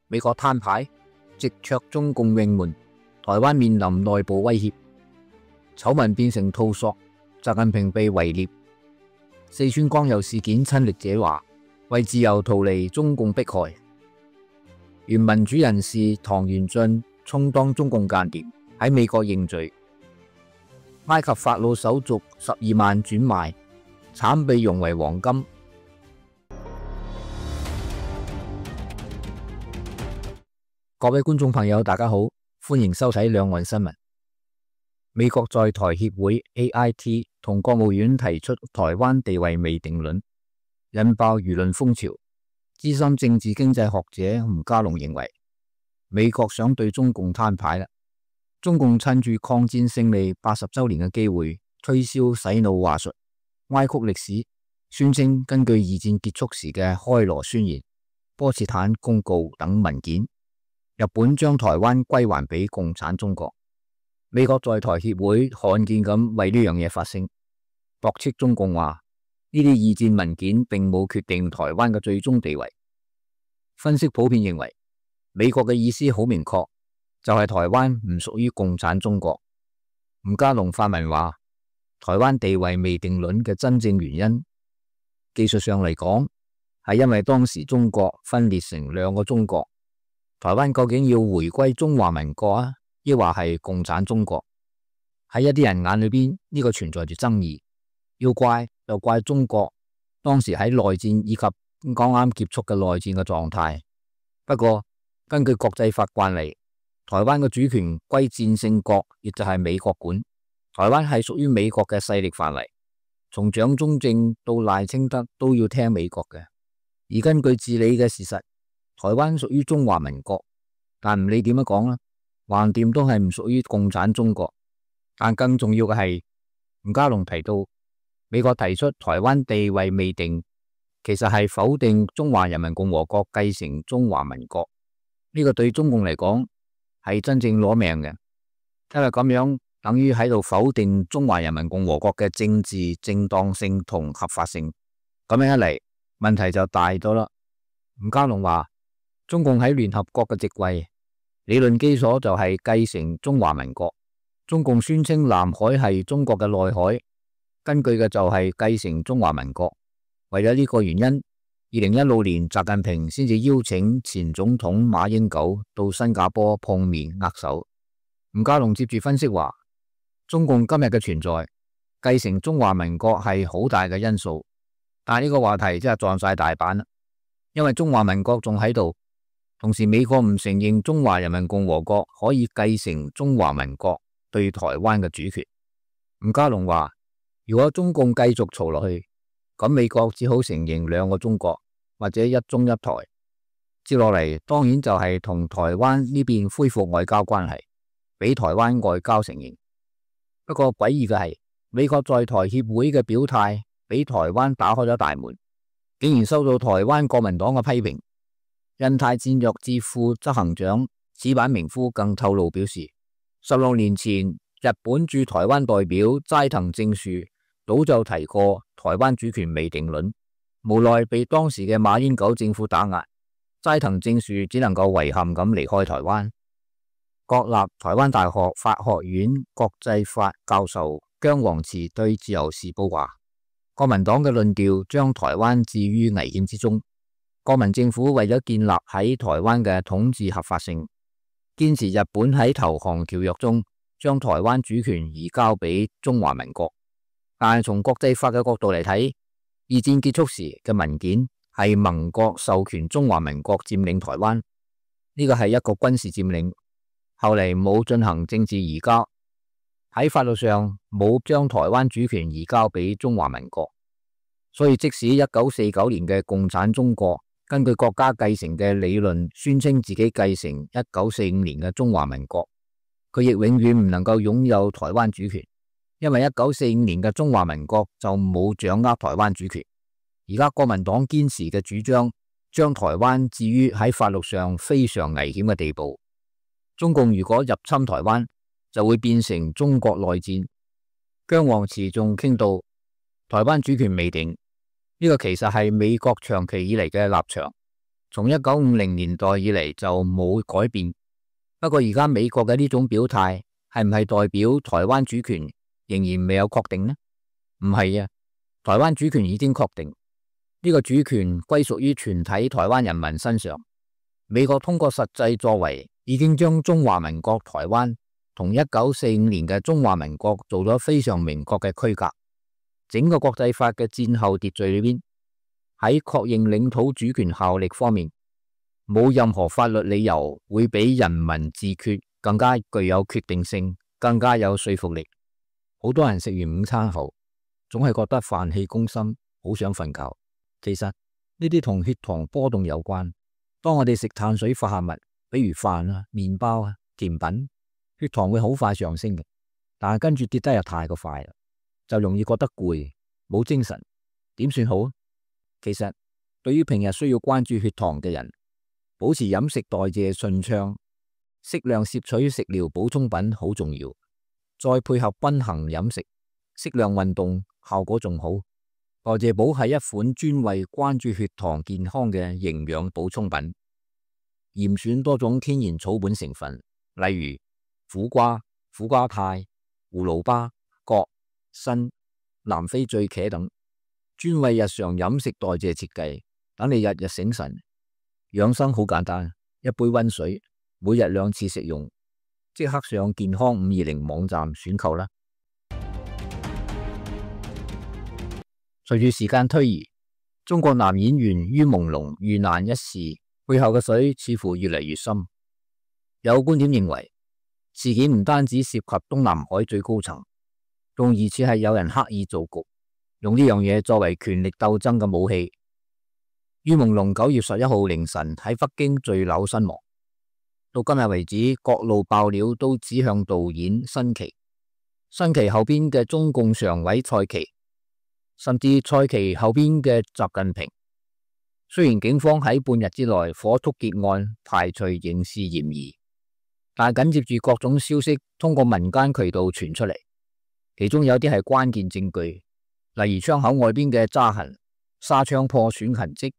美國攤牌，直戳中共永門，台灣面臨內部威脅，醜聞變成套索，習近平被圍獵。四川光佑事件親歷者話，為自由逃離中共迫害。原民主人士唐元俊充當中共間諜，喺美國認罪。埃及法老手續12萬轉賣，慘被熔為黃金。各位觀眾朋友，大家好，歡迎收睇兩岸新聞。美國在台協會 AIT 同國務院提出台灣地位未定論，引爆輿論風潮。資深政治經濟學者吳家龍認為，美國想對中共攤牌啦。中共趁住抗戰勝利80週年嘅機會，推銷洗腦話術，歪曲歷史，宣稱根據二戰結束時嘅開羅宣言、波茨坦公告等文件，日本將台灣歸還俾共產中國。美國在台協會罕見咁為呢樣嘢發聲，駁斥中共話呢啲二戰文件並冇決定台灣嘅最終地位。分析普遍認為，美國嘅意思好明確，就係台灣唔屬於共產中國。吳家龍發文話，台灣地位未定論嘅真正原因，技術上嚟講，係因為當時中國分裂成兩個中國，台灣究竟要回歸中華民國啊，抑或係共產中國？喺一啲人眼裏邊，呢個存在住爭議。要怪就怪中國當時喺內戰以及剛啱結束嘅內戰嘅狀態。不過根據國際法慣例，台灣嘅主權歸戰勝國，亦就係美國管。台灣係屬於美國嘅勢力範圍，從蔣中正到賴清德都要聽美國嘅。而根據治理嘅事實，台灣屬於中華民國，但唔理點樣講啦，橫掂都係唔屬於共產中國。但更重要嘅係，吳家龍提到，美國提出台灣地位未定，其實係否定中華人民共和國繼承中華民國。呢個對中共嚟講係真正攞命嘅，因為咁樣等於喺度否定中華人民共和國嘅政治正當性同合法性。咁樣一嚟，問題就大咗啦。吳家龍話，中共喺聯合國嘅席位理論基礎就係繼承中華民國。中共宣稱南海係中國嘅內海，根據嘅就係繼承中華民國。為咗呢個原因，2016年習近平先至邀請前總統馬英九到新加坡碰面握手。吳家龍接住分析話，中共今日嘅存在，繼承中華民國係好大嘅因素，但係呢個話題真係撞晒大板啦，因為中華民國仲喺度，同時美國唔承認中華人民共和國可以繼承中華民國對台灣嘅主權。吳家龍話，如果中共繼續嘈落去，咁美國只好承認兩個中國或者一中一台。接落嚟當然就係同台灣呢邊恢復外交關係，俾台灣外交承認。不過詭異嘅係，美國在台協會嘅表態俾台灣打開咗大門，竟然收到台灣國民黨嘅批評。印太戰略智庫執行長矢板明夫更透露表示，16年前日本駐台灣代表齋藤正樹早就提過台灣主權未定論，無奈被當時嘅馬英九政府打壓，齋藤正樹只能夠遺憾咁離開台灣。國立台灣大學法學院國際法教授姜黃慈對自由時報話，國民黨嘅論調將台灣置於危險之中。國民政府為咗建立喺台灣嘅統治合法性，堅持日本喺投降條約中將台灣主權移交俾中華民國。但係從國際法嘅角度嚟睇，二戰結束時嘅文件係盟國授權中華民國佔領台灣，呢個係一個軍事佔領，後嚟冇進行政治移交，喺法律上冇將台灣主權移交俾中華民國。所以即使1949年嘅共產中國根據國家繼承嘅理論宣稱自己繼承1945年嘅中華民國，佢亦永遠唔能夠擁有台灣主權，因為1945年嘅中華民國就冇掌握台灣主權。而家國民黨堅持嘅主張，將台灣置於喺法律上非常危險嘅地步。中共如果入侵台灣，就會變成中國內戰。姜黃慈仲傾到台灣主權未定，呢個其實係美國長期以嚟嘅立場。從1950年代以嚟就冇改變。不過而家美國嘅呢種表態係唔係代表台灣主權仍然未有確定呢？唔係啊，台灣主權已經確定，呢個主權歸屬於全體台灣人民身上。美國通過實際作為已經將中華民國台灣同1945年嘅中華民國做咗非常明確嘅區隔。整個國際法嘅戰後秩序裏邊，喺確認領土主權效力方面，冇任何法律理由會比人民自決更加具有決定性，更加有說服力。好多人食完午餐後，總係覺得飯氣攻心，好想瞓覺。其實呢啲同血糖波動有關。當我哋食碳水化合物，比如飯啊、麵包啊、甜品，血糖會好快上升嘅，但係跟住跌得又太過快啦，就容易覺得攰，冇精神，點算好？其實對於平日需要關注血糖嘅人，保持飲食代謝順暢，適量攝取食療補充品好重要，再配合均衡飲食、適量運動，效果仲好。代謝寶係一款專為關注血糖健康嘅營養補充品，嚴選多種天然草本成分，例如苦瓜、苦瓜肽、葫蘆巴、葛、參、南非醉茄等，專為日常飲食代謝設計，等你日日醒神。養生好簡單，一杯溫水，每日2次食用，即刻上健康520網站選購啦。隨住時間推移，中國男演員于朦朧遇難一事背後嘅水似乎越嚟越深。有觀點認為，事件唔單止涉及東南海最高層，仲疑似係有人刻意造局，用呢樣嘢作為權力鬥爭嘅武器。于朦朧9月11號凌晨喺北京墜樓身亡。到今日為止，各路爆料都指向導演辛奇，辛奇後邊嘅中共常委蔡奇，甚至蔡奇後邊嘅習近平。雖然警方喺半日之內火速結案，排除刑事嫌疑，但係緊接住各種消息通過民間渠道傳出嚟，其中有啲係關鍵證據，例如窗口外邊嘅渣痕、紗窗破損痕跡，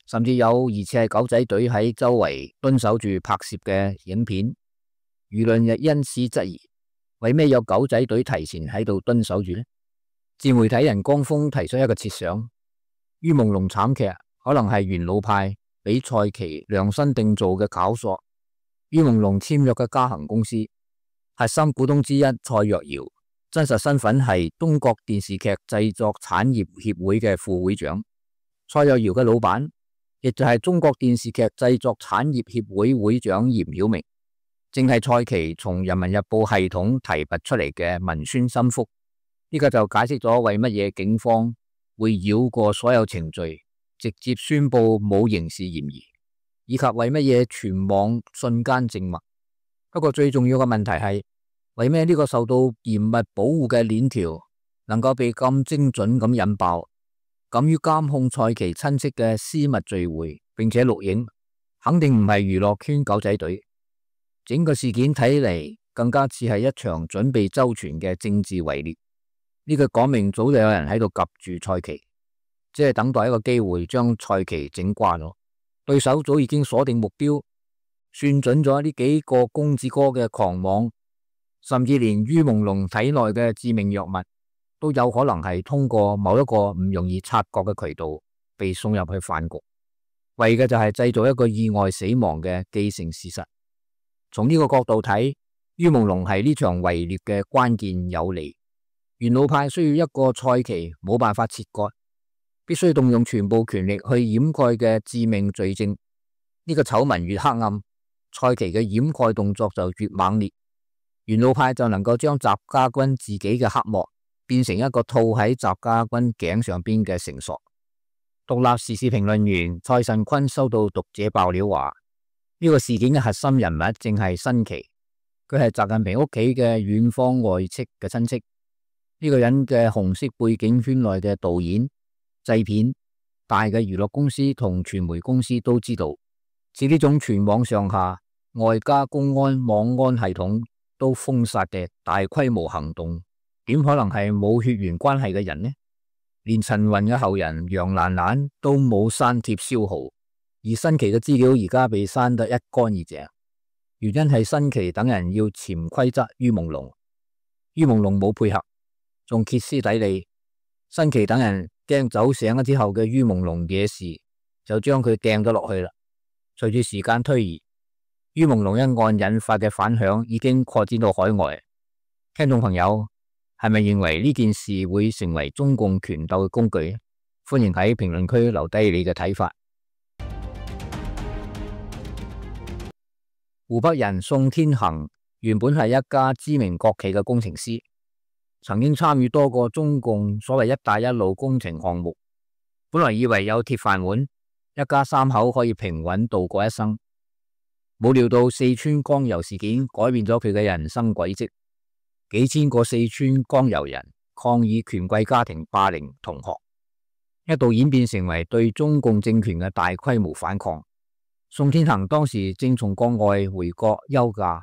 甚至有疑似係狗仔隊喺周圍蹲守住拍攝嘅影片。輿論亦因此質疑，為咩有狗仔隊提前喺度蹲守住呢？自媒體人江峰提出一個設想，于朦朧慘劇可能係元老派俾蔡奇量身定做嘅搞索。于朦朧簽約嘅嘉行公司核心股東之一蔡若瑤，真實身份係中國電視劇製作產業協會嘅副會長。蔡若瑤嘅老闆亦就係中國電視劇製作產業協會會長嚴曉明，正係蔡奇從人民日報系統提拔出嚟嘅文宣心腹。呢個就解釋咗為乜嘢警方會繞過所有程序，直接宣布冇刑事嫌疑，以及為乜嘢全網瞬間靜默。不過最重要嘅問題係，為咩呢個受到嚴密保護嘅鏈條能夠被咁精準咁引爆？敢於監控蔡奇親戚嘅私密聚會並且錄影，肯定唔係娛樂圈狗仔隊。整個事件睇嚟更加似係一場準備周全嘅政治圍獵。呢個講明早就有人喺度夾住蔡奇，只係等待一個機會將蔡奇整瓜咗。對手早已經鎖定目標，算準咗呢幾個公子哥嘅狂妄，甚至連于朦朧體內嘅致命藥物都有可能係通過某一個唔容易察覺嘅渠道被送入去飯局，為嘅就係製造一個意外死亡嘅既成事實。從呢個角度睇，于朦朧係呢場圍獵嘅關鍵有利。元老派需要一個蔡奇冇辦法切割，必須動用全部權力去掩蓋嘅致命罪證。呢個醜聞越黑暗，蔡奇嘅掩蓋動作就越猛烈。元老派就能夠將習家軍自己嘅黑幕變成一個套喺習家軍頸上邊嘅繩索。獨立時事評論員蔡慎坤收到讀者爆料話，呢個事件嘅核心人物正係辛奇，佢係習近平屋企嘅遠方外戚嘅親戚。呢個人嘅紅色背景圈內嘅導演、製片、大嘅娛樂公司同傳媒公司都知道，似呢種全網上下外加公安網安系統都封殺嘅大規模行動，點可能係冇血緣關係嘅人呢？連陳雲嘅後人楊蘭蘭都冇刪帖消耗，而新奇嘅資料而家被刪得一乾二淨，原因係新奇等人要潛規則于朦朧，于朦朧冇配合，仲歇斯底里。新奇等人驚酒醒咗之後嘅于朦朧惹事，就將佢掟咗落去啦。隨住時間推移，于朦朧一案引發嘅反響已經擴展到海外。聽眾朋友係咪認為呢件事會成為中共權鬥嘅工具？歡迎喺評論區留低你嘅睇法。湖北人宋天恒原本係一家知名國企嘅工程師，曾經參與多個中共所謂一帶一路工程項目，本來以為有鐵飯碗，一家三口可以平穩度過一生。冇料到四川江油事件改變咗佢嘅人生軌跡，幾千個四川江油人抗議權貴家庭霸凌同學，一度演變成為對中共政權嘅大規模反抗。宋天恒當時正從國外回國休假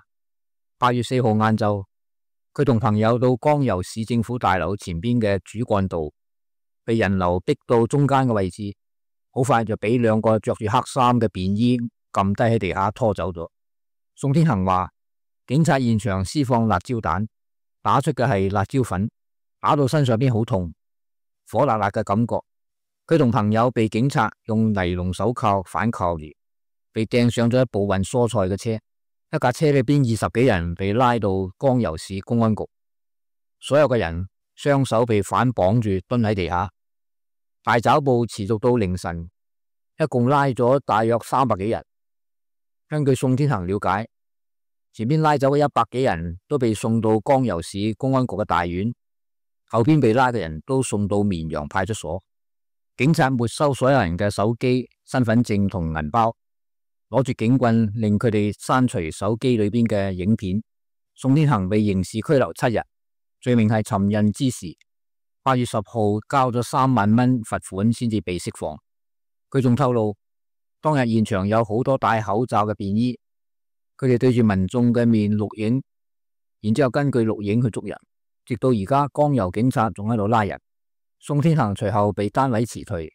，8月4號晏晝，佢同朋友到江油市政府大樓前邊嘅主幹道，被人流逼到中間嘅位置，好快就俾兩個着住黑衫嘅便衣撳低喺地下拖走咗。宋天恒話，警察現場施放辣椒彈，打出嘅係辣椒粉，打到身上邊好痛，火辣辣嘅感覺。佢同朋友被警察用尼龍手銬反銬住，被掟上咗一部運蔬菜嘅車，一架車裏邊20幾人被拉到江油市公安局，所有嘅人雙手被反綁住蹲喺地下。大抓捕持續到凌晨，一共拉咗大約300幾人。根據宋天恒了解，前邊拉走嘅100幾人都被送到江油市公安局嘅大院，後邊被拉嘅人都送到綿陽派出所。警察沒收所有人嘅手機、身份證同銀包，攞住警棍令佢哋刪除手機裏邊嘅影片。宋天恒被刑事拘留7日，罪名係尋釁滋事。8月10號交咗3萬蚊罰款先至被釋放。佢仲透露，當日現場有好多戴口罩嘅便衣，佢哋對住民眾嘅面錄影，然之後根據錄影去捉人，直到而家江油警察仲喺度拉人。宋天恒隨後被單位辭退，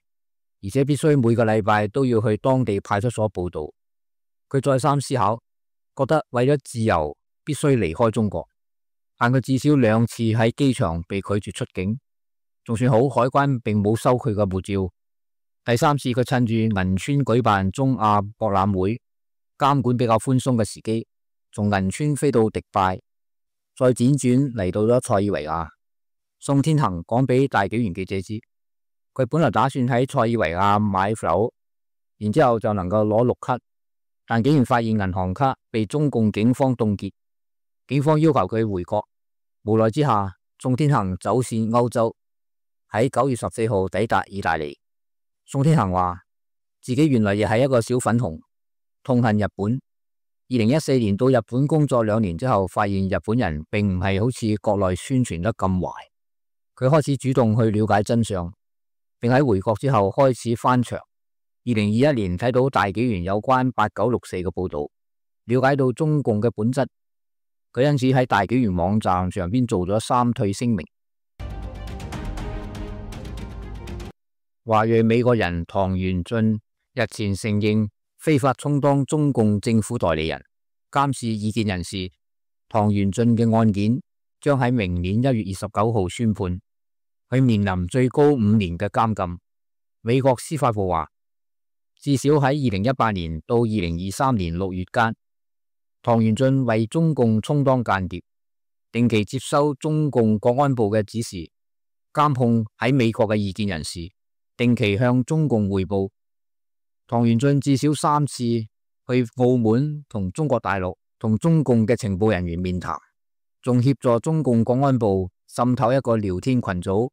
而且必須每個禮拜都要去當地派出所報到。佢再三思考，覺得為咗自由必須離開中國，但佢至少2次喺機場被拒絕出境，仲算好海關並冇收佢嘅護照。第3次佢趁住銀川舉辦中亞博覽會，監管比較寬鬆嘅時機，從銀川飛到迪拜，再輾轉嚟到咗塞爾維亞。宋天恒講俾大紀元記者知，佢本來打算喺塞爾維亞買樓，然之後就能夠攞綠卡，但竟然發現銀行卡被中共警方凍結，警方要求佢回國。無奈之下，宋天恒走線歐洲，喺9月14號抵達意大利。宋天恒話自己原來亦係一個小粉紅，痛恨日本。2014年到日本工作2年之後，發現日本人並唔係好似國內宣傳得咁壞。佢開始主動去了解真相，並喺回國之後開始翻牆。2021年睇到大紀元有關8964嘅報道，了解到中共嘅本質。佢因此喺大紀元網站上邊做咗3退聲明。華裔美國人唐元俊日前承認非法充當中共政府代理人、監視異見人士。唐元俊嘅案件將喺明年1月29號宣判，佢面臨最高5年嘅監禁。美國司法部話，至少喺2018年到2023年6月間，唐元俊為中共充當間諜，定期接收中共國安部嘅指示，監控喺美國嘅異見人士，定期向中共匯報。唐元俊至少3次去澳門同中國大陸同中共嘅情報人員面談，仲協助中共國安部滲透一個聊天群組，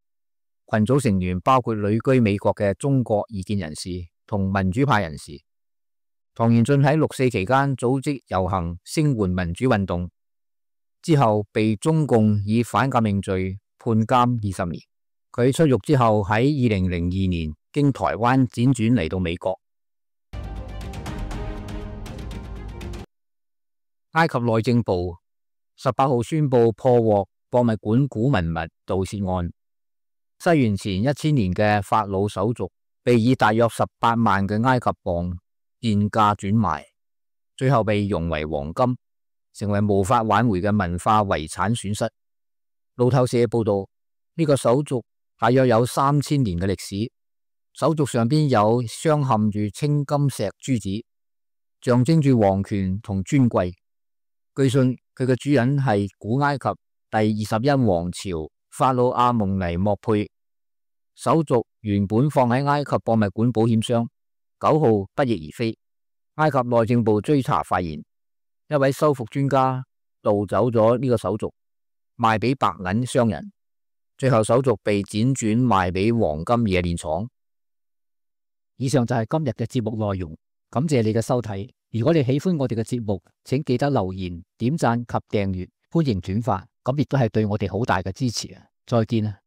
群組成員包括旅居美國嘅中國異見人士同民主派人士。唐元俊喺6·4期間組織遊行聲援民主運動，之後被中共以反革命罪判監20年。佢出獄之後喺2002年經台灣輾轉嚟到美國。埃及內政部18號宣布破獲博物館古文物盜竊案，西元前1000年嘅法老手續被以大約18萬嘅埃及鎊賤價轉賣，最後被熔為黃金，成為無法挽回嘅文化遺產損失。路透社報道，呢個手鐲大約有3000年嘅歷史，手鐲上邊有鑲嵌住青金石珠子，象徵住皇權同尊貴。據信佢嘅主人係古埃及第21王朝法老阿蒙尼莫佩。手鐲原本放喺埃及博物館保險箱，9號不翼而飛。埃及內政部追查發現，一位修復專家盜走咗呢個手鐲，賣俾白銀商人，最後手鐲被輾轉賣俾黃金冶煉廠。以上就係今日嘅節目內容，感謝你嘅收睇。如果你喜歡我哋嘅節目，請記得留言、點讚及訂閱，歡迎轉發，咁亦都係對我哋好大嘅支持啊！再見啊！